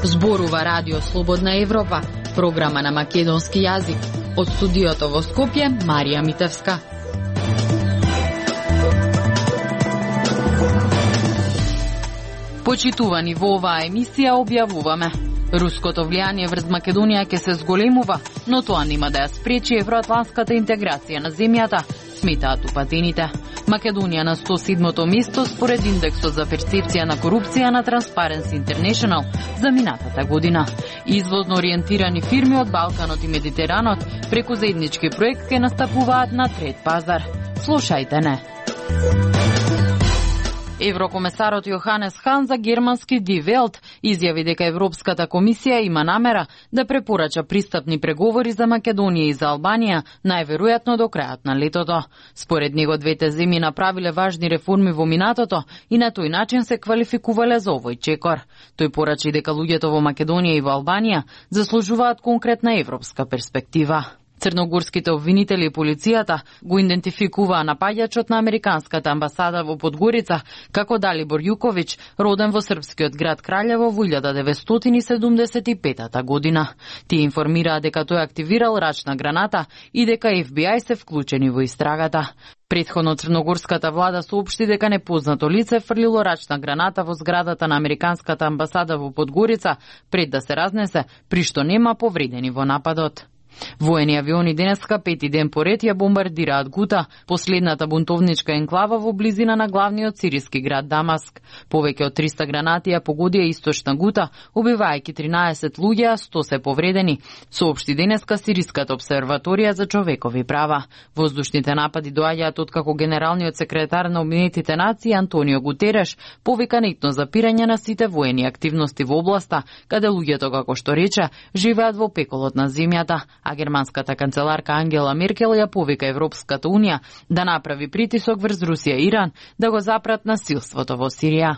Зборува Радио Слободна Европа, програма на македонски јазик. Од студиото во Скопје, Марија Митевска. Почитувани во оваа емисија објавуваме: руското влијание врз Македонија ќе се зголемува, но тоа нема да ја спречи евроатлантската интеграција на земјата, сметаат упатените. Македонија на 107-то место според индексот за перцепција на корупција на Transparency International за минатата година. Извозно ориентирани фирми од Балканот и Медитеранот преку заеднички проект ќе настапуваат на трет пазар. Слушајте не. Еврокомесарот Јоханес Хан за германски Die Welt изјави дека Европската комисија има намера да препорача пристапни преговори за Македонија и за Албанија, најверојатно до крајот на летото. Според него двете земји направиле важни реформи во минатото и на тој начин се квалификувале за овој чекор. Тој порачи дека луѓето во Македонија и во Албанија заслужуваат конкретна европска перспектива. Црногорските обвинители и полицијата го идентификуваа напаѓачот на американската амбасада во Подгорица како Далибор Јуковиќ, роден во српскиот град Краљево во 1975 година. Тие информираа дека тој активирал рачна граната и дека FBI се вклучени во истрагата. Претходно црногорската влада соопшти дека непознато лице фрлило рачна граната во зградата на американската амбасада во Подгорица пред да се разнесе, при што нема повредени во нападот. Воени авиони денеска пети ден поред ја бомбардираат Гута, последната бунтовничка енклава во близина на главниот сириски град Дамаск. Повеќе од 300 гранати ја погодија источна Гута, убивајќи 13 луѓе, а 100 се повредени, соопшти денеска Сириската обсерваторија за човекови права. Воздушните напади доаѓаат откако генералниот секретар на Обединетите нации Антонио Гутереш повика нетно запирање на сите воени активности во областа, каде луѓето, како што рече, живеат во пеколот на земјата. А германската канцеларка Ангела Меркел ја повика Европската унија да направи притисок врз Русија и Иран да го запрат насилството во Сирија.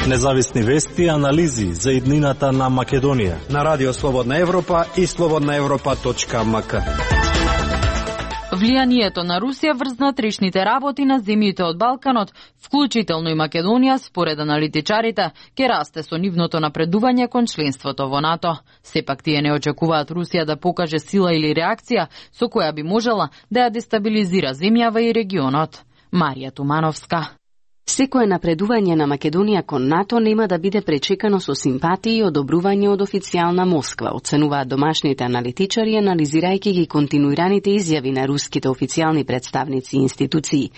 Независни вести и анализи за иднината на Македонија на Радио Слободна Европа и slobodnaevropa.mk. Влијанието на Русија врз внатрешните работи на земјите од Балканот, вклучително и Македонија, според аналитичарите, ќе расте со нивното напредување кон членството во НАТО. Сепак тие не очекуваат Русија да покаже сила или реакција со која би можела да ја дестабилизира земјава и регионот. Марија Тумановска. Секое напредување на Македонија кон НАТО нема да биде пречекано со симпатии и одобрување од официјална Москва, оценуваат домашните аналитичари, анализирајќи ги континуираните изјави на руските официјални представници и институции.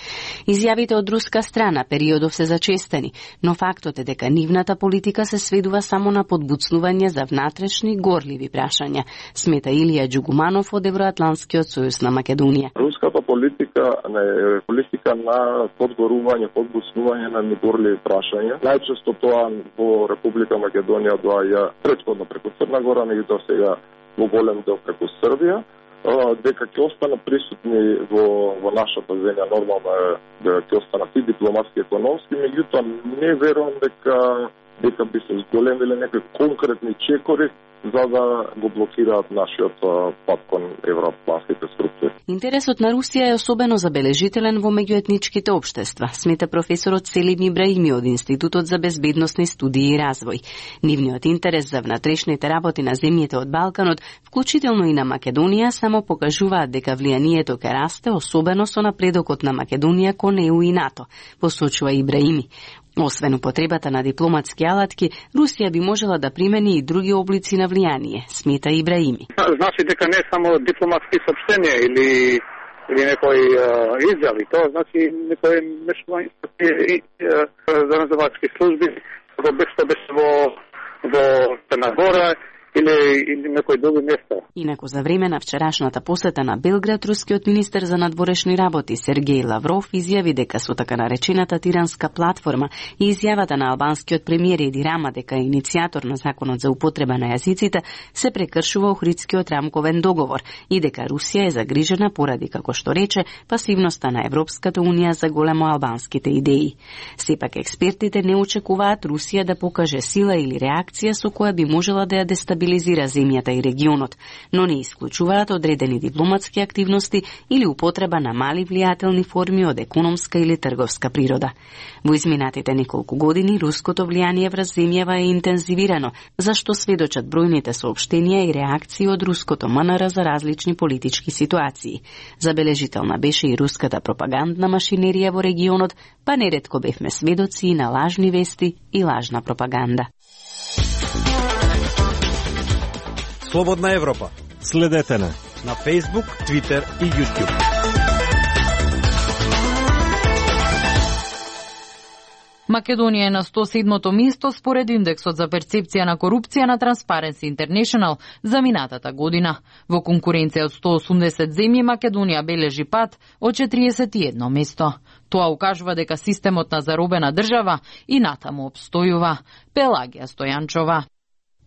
Изјавите од руска страна периодов се зачестени, но фактот е дека нивната политика се сведува само на подбуцнување за внатрешни горливи прашања, смета Илија Џугуманов од Евроатлантскиот сојуз на Македонија. Руската политика е политика на подгорување, подбуцнување на негорливи прашања. Најчесто тоа во Република Македонија доаѓа претходно преку Црна Гора, меѓутоа сега во голем дел преку Србија, дека ќе останат присутни во нашата земја, нормално е дека ќе останат и дипломатски, економски, меѓутоа не верувам дека би се зголемиле некои конкретни чекори за да го блокираат нашиот пат кон евроатлантските структури. Интересот на Русија е особено забележителен во меѓуетничките општества, смета професорот Селим Ибраими од Институтот за безбедносни студии и развој. Нивниот интерес за внатрешните работи на земјите од Балканот, вклучително и на Македонија, само покажуваат дека влијанието ќе расте, особено со напредокот на Македонија кон ЕУ и НАТО, посочува Ибраими. Освен употребата на дипломатски алатки, Русија би можела да примени и други облици на влијание, смета Ибраими. Значи дека не само дипломатски сообщенија или некои изјави, тоа значи некои мешување за разузнавачки служби, како беше во Црна Гора или некои други места. Инаку за време на вчерашната посета на Белград, рускиот министер за надворешни работи Сергеј Лавров изјави дека со така наречената тиранска платформа и изјавата на албанскиот премиер Еди Рама дека е иницијатор на законот за употреба на јазиците се прекршува Охридскиот рамковен договор и дека Русија е загрижена поради, како што рече, пасивноста на Европската унија за големо албанските идеи. Сепак експертите не очекуваат Русија да покаже сила или реакција со која би можела да ја дестабилизира дестабилизира земјата и регионот, но не исклучуваат одредени дипломатски активности или употреба на мали влијателни форми од економска или трговска природа. Во изминатите неколку години руското влијание врз земјава е интензивирано, зашто сведочат бројните соопштенија и реакции од руското МНР за различни политички ситуации. Забележителна беше и руската пропагандна машинерија во регионот, па неретко бевме сведоци на лажни вести и лажна пропаганда. Слободна Европа. Следете на Facebook, Twitter и YouTube. Македонија е на 107-то место според индексот за перцепција на корупција на Transparency International за минатата година. Во конкуренција од 180 земји Македонија бележи пад од 41 место. Тоа укажува дека системот на заробена држава и натаму обстојува. Пелагија Стојанчова.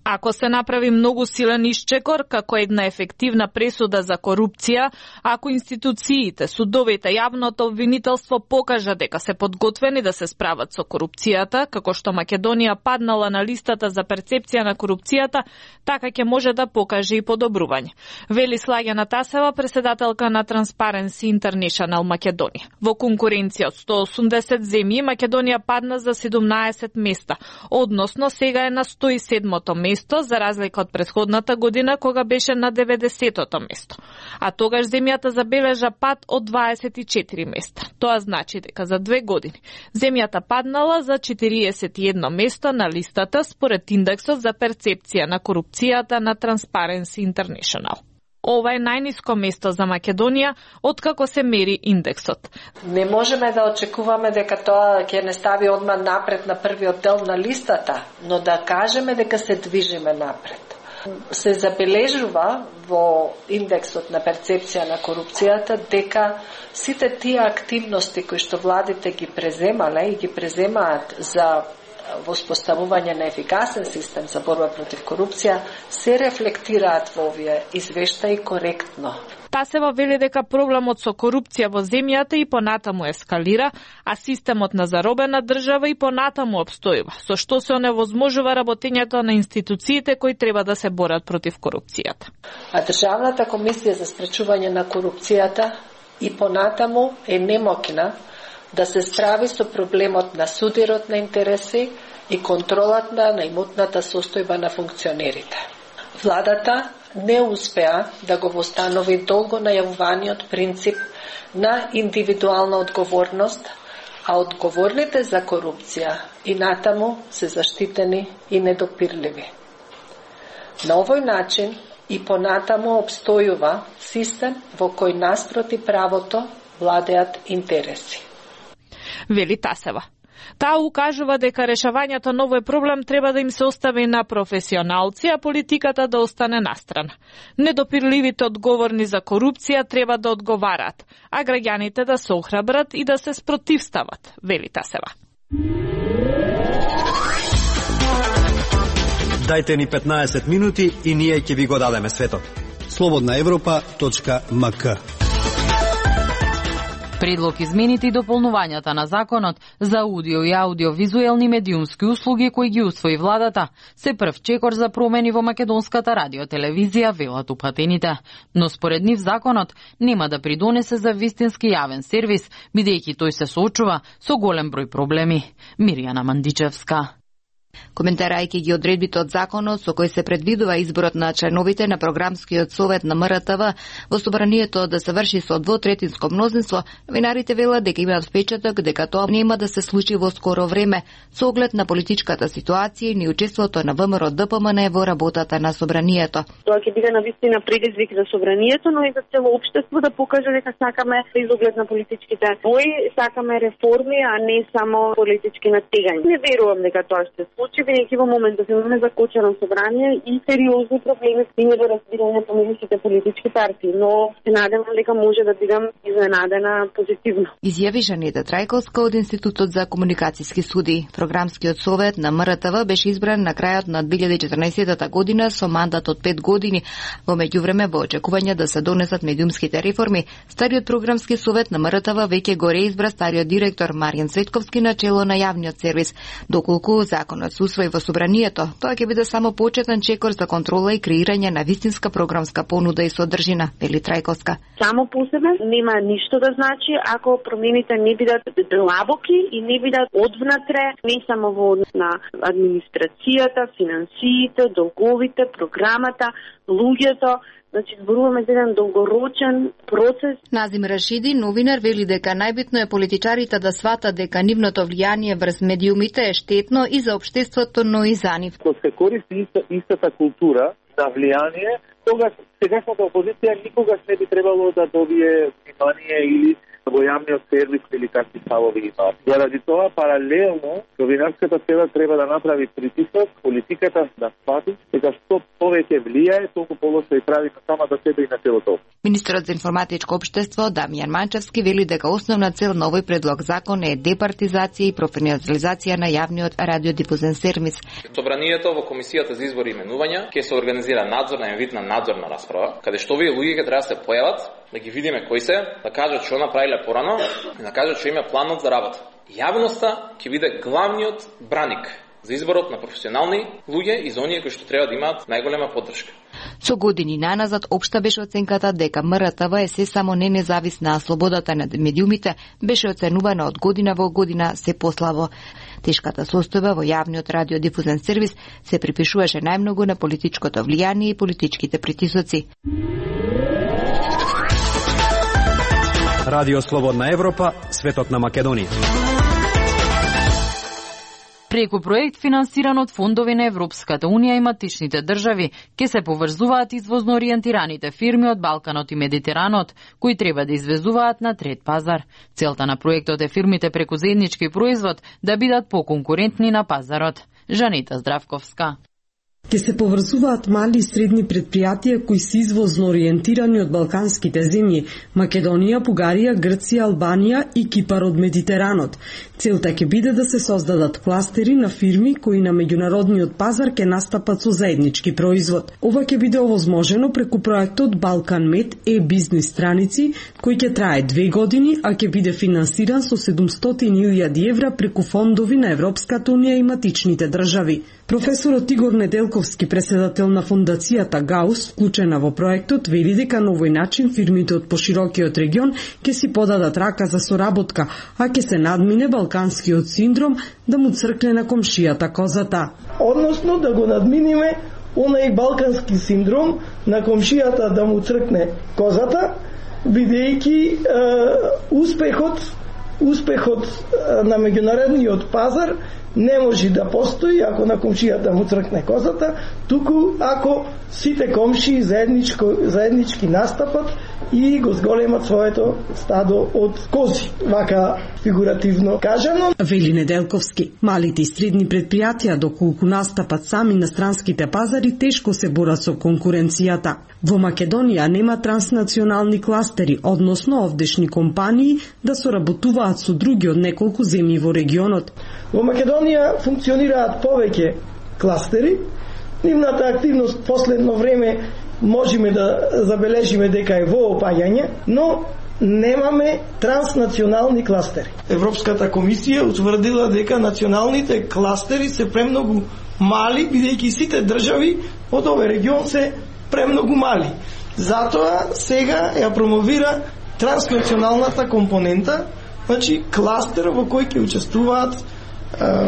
Ако се направи многу силен исчекор како една ефективна пресуда за корупција, ако институциите, судовите, јавното обвинителство покажа дека се подготвени да се справат со корупцијата, како што Македонија паднала на листата за перцепција на корупцијата, така ќе може да покаже и подобрување. Вели Слагјана Тасева, преседателка на Transparency International Македонија. Во конкуренција од 180 земји, Македонија падна за 17 места, односно сега е на 107-то место, за разлика од претходната година кога беше на 90-то место. А тогаш земјата забележа пад од 24 места. Тоа значи дека за 2 години земјата паднала за 41 место на листата според индексот за перцепција на корупцијата на Transparency International. Ова е најниско место за Македонија откако се мери индексот. Не можеме да очекуваме дека тоа ќе не стави одма напред на првиот дел на листата, но да кажеме дека се движиме напред. Се забележува во индексот на перцепција на корупцијата дека сите тие активности кои што владите ги преземале и ги преземаат за воспоставување на ефикасен систем за борба против корупција се рефлектираат во овие извештаи коректно. Тасева вели дека проблемот со корупција во земјата и понатаму ескалира, а системот на заробена држава и понатаму обстојува, со што се оневозможува работењето на институциите кои треба да се борат против корупцијата. А Државната комисија за спречување на корупцијата и понатаму е немоќна да се справи со проблемот на судирот на интереси и контролата на имотната состојба на функционерите. Владата не успеа да го востанови долго најавуваниот принцип на индивидуална одговорност, а одговорните за корупција и натаму се заштитени и недопирливи. На овој начин и понатаму обстојува систем во кој наспроти правото владеат интереси. Вели Тасева. Таа укажува дека решавањето на овој проблем треба да им се остави на професионалци, а политиката да остане настрана. Недопирливите одговорни за корупција треба да одговараат, а граѓаните да се охрабрат и да се спротивстават, вели Тасева. Дајте ни 15 минути и ние ќе ви го дадеме светот. slobodnaevropa.mk Предлог измените и дополнувањата на законот за аудио и аудиовизуелни медиумски услуги кои ги усвои владата се прв чекор за промени во македонската радиотелевизија, велат упатените. Но според нив законот нема да придонесе за вистински јавен сервис, бидејќи тој се соочува со голем број проблеми. Мирјана Мандичевска. Коментарајќи ги одредбите од законот со кој се предвидува изборот на членовите на програмскиот совет на МРТВ во собранието да се врши со двотретинско мнозинство, новинарите велат дека имаат впечаток дека тоа нема да се случи во скоро време со оглед на политичката ситуација и неучеството на ВМРО ДПМН во работата на собранието. Тоа ќе биде навистина предизвик за собранието, но и за цело општество да покаже дека сакаме изоглед на политичките бои, сакаме реформи, а не само политички натегања. Не верувам дека тоа ќе се случи, бидејќи во моментот имаме закочено собрание и сериозни проблеми со недоразбирање помеѓу сите политички партии, но се надевам дека може да бидам изненадена позитивно. Изјави Жанета Трајковска од Институтот за комуникацијски студии. Програмскиот совет на МРТВ беше избран на крајот на 2014 година со мандат од 5 години. Во меѓувреме, во очекување да се донесат медиумските реформи, стариот програмски совет на МРТВ веќе го реизбра стариот директор Маријан Цветковски на чело на јавниот сервис, доколку законот законот се усвои во собранието, тоа ќе биде само почетен чекор за контрола и креирање на вистинска програмска понуда и содржина, вели Трајковска. Само по себе нема ништо да значи ако промените не бидат длабоки и не бидат одвнатре, не само во однос на администрацијата, финансиите, долговите, програмата, луѓето. Значи, зборуваме за еден долгорочен процес. Назим Рашиди, новинар, вели дека најбитно е политичарите да сватат дека нивното влијание врз медиумите е штетно и за општеството, но и за нив. Кога се користи истата култура на влијание, тогаш сегашната опозиција никогаш не би требало да добие внимание или во јавниот сервис или какви ставови имаат. Заради тоа, паралелно, новинарската сфера треба да направи притисок, политиката да свати, дека што повеќе влијае, толку полошо и прави на самата себе и на целото. Министерот за информатичко општество Дамјан Манчевски вели дека основна цел на овој предлог закон е департизација и професионализација на јавниот радиодифузен сервис. Собранието во комисијата за избори и именувања ќе се организира надзорна вид на надзорна расправа, каде што овие луѓе треба да се појават, да ги видиме кои се, да кажат што направиле порано и да кажат што има планот за работа. Јавноста ќе биде главниот браник за изборот на професионални луѓе и за оние кои што треба да имаат најголема поддршка. Со години наназад општа беше оценката дека МРТВ е се само не независна, а слободата на медиумите беше оценувана од година во година се послабо. Тешката состојба во јавниот радиодифузен сервис се припишуваше најмногу на политичкото влијание и политичките притисоци. Радио Слободна Европа, светот на Македонија. Преку проект финансиран од фондови на Европската Унија и матичните држави, ќе се поврзуваат извозно ориентираните фирми од Балканот и Медитеранот, кои треба да извезуваат на трет пазар. Целта на проектот е фирмите преку заеднички производ да бидат поконкурентни на пазарот. Жанета Здравковска. Ке се поврзуваат мали и средни предпријатија кои се извозно ориентирани од балканските земји Македонија, Бугарија, Грција, Албанија и Кипар од Медитеранот. Целта ќе биде да се создадат кластери на фирми кои на меѓународниот пазар ќе настапат со заеднички производ. Ова ќе биде овозможено преку проектот Балкан Мед e-бизнис страници, кој ќе трае 2 години, а ќе биде финансиран со 700.000 евра преку фондови на Европската Унија и матичните држави. Професорот Игор Неделковски, преседател на фондацијата ГАУС, вклучена во проектот, вели дека на овој начин фирмите од поширокиот регион ќе си подадат рака за соработка, а ќе се надмине балканскиот синдром да му цркне на комшијата козата. Односно да го надминиме онај балкански синдром на комшијата да му цркне козата, бидејќи успехот на меѓународниот пазар не може да постои ако на комшијата му цркне козата, туку ако сите комшии заеднички настапат и го зголемат своето стадо од кози, вака фигуративно кажано. Вели Неделковски, малите и средни предпријатија доколку настапат сами на странските пазари тешко се борат со конкуренцијата. Во Македонија нема транснационални кластери, односно овдешни компании да соработуваат со други од неколку земји во регионот. Во Македонија функционираат повеќе кластери. Нивната активност последно време можеме да забележиме дека е во опаѓање, но немаме транснационални кластери. Европската комисија утврдила дека националните кластери се премногу мали, бидејќи сите држави од овој регион се премногу мали. Затоа сега ја промовира транснационалната компонента, значи кластер во кој ќе учествуваат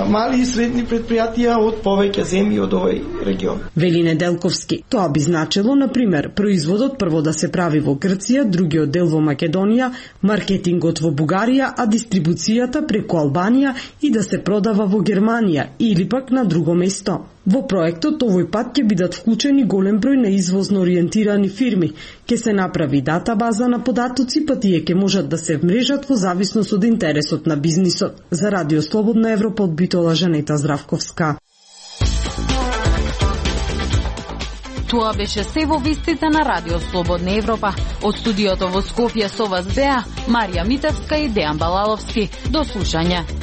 мали и средни предпријатија од повеќе земји од овој регион. Вели Неделковски, тоа би значило, например, производот прво да се прави во Грција, другиот дел во Македонија, маркетингот во Бугарија, а дистрибуцијата преку Албанија и да се продава во Германија или пак на друго место. Во проектот овој пат ќе бидат вклучени голем број на извозно ориентирани фирми, ќе се направи датабаза на податоци, па тие ќе можат да се вмрежат во зависност од интересот на бизнисот. За Радио Слободна Европа од Битола, Жанета Здравковска. Тоа беше се во вестите на Радио Слободна Европа. Од студиото во Скопје со вас беа Марија Митевска и Дејан Балаловски. До слушање.